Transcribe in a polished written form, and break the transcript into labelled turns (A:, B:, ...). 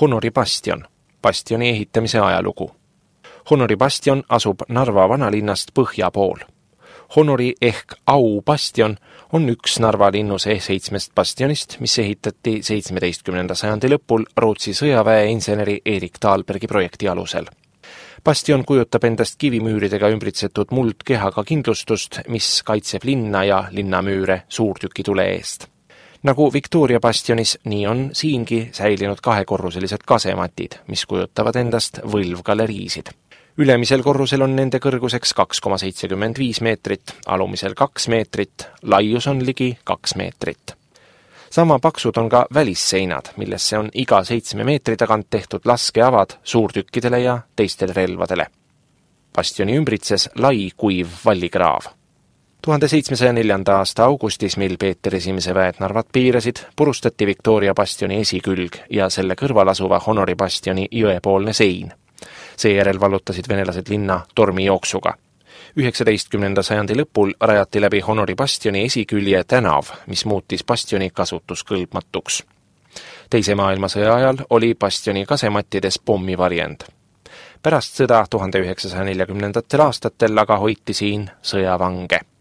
A: Honori bastion, bastioni ehitamise ajalugu. Honori bastion asub Narva vanalinnast põhja pool. Honori ehk Au bastion on üks Narva linnuse 7 bastionist, mis ehitati 17. sajandi lõpul Rootsi sõjaväeinseneri Erik Dahlbergi projekti alusel. Bastion kujutab endast kivimüüridega ümbritsetud muldkehaga kindlustust, mis kaitseb linna ja linnamüüre suurtükitule eest. Nagu Victoria bastionis, nii on siingi säilinud 2-korruselised kasematid, mis kujutavad endast võlvgaleriisid. Ülemisel korrusel on nende kõrguseks 2,75 meetrit, alumisel 2 meetrit, laius on ligi 2 meetrit. Sama paksud on ka välisseinad, millesse on iga 7 meetri tagant tehtud laskeavad suurtükkidele ja teistele relvadele. Bastioni ümbritses lai kuiv vallikraav. 1704. aasta augustis, mil Peeter I väed Narvat piirasid, purustati Victoria bastioni esikülg ja selle kõrval asuva Honori bastioni jõepoolne sein. Seejärel vallutasid venelased linna tormijooksuga. 19. sajandi lõpul rajati läbi Honori bastioni esikülje tänav, mis muutis bastioni kasutuskõlbmatuks. Teise maailmasõja ajal oli bastioni kasemattides pommivarjend. Pärast sõda 1940. aastatel aga hoiti siin sõjavange.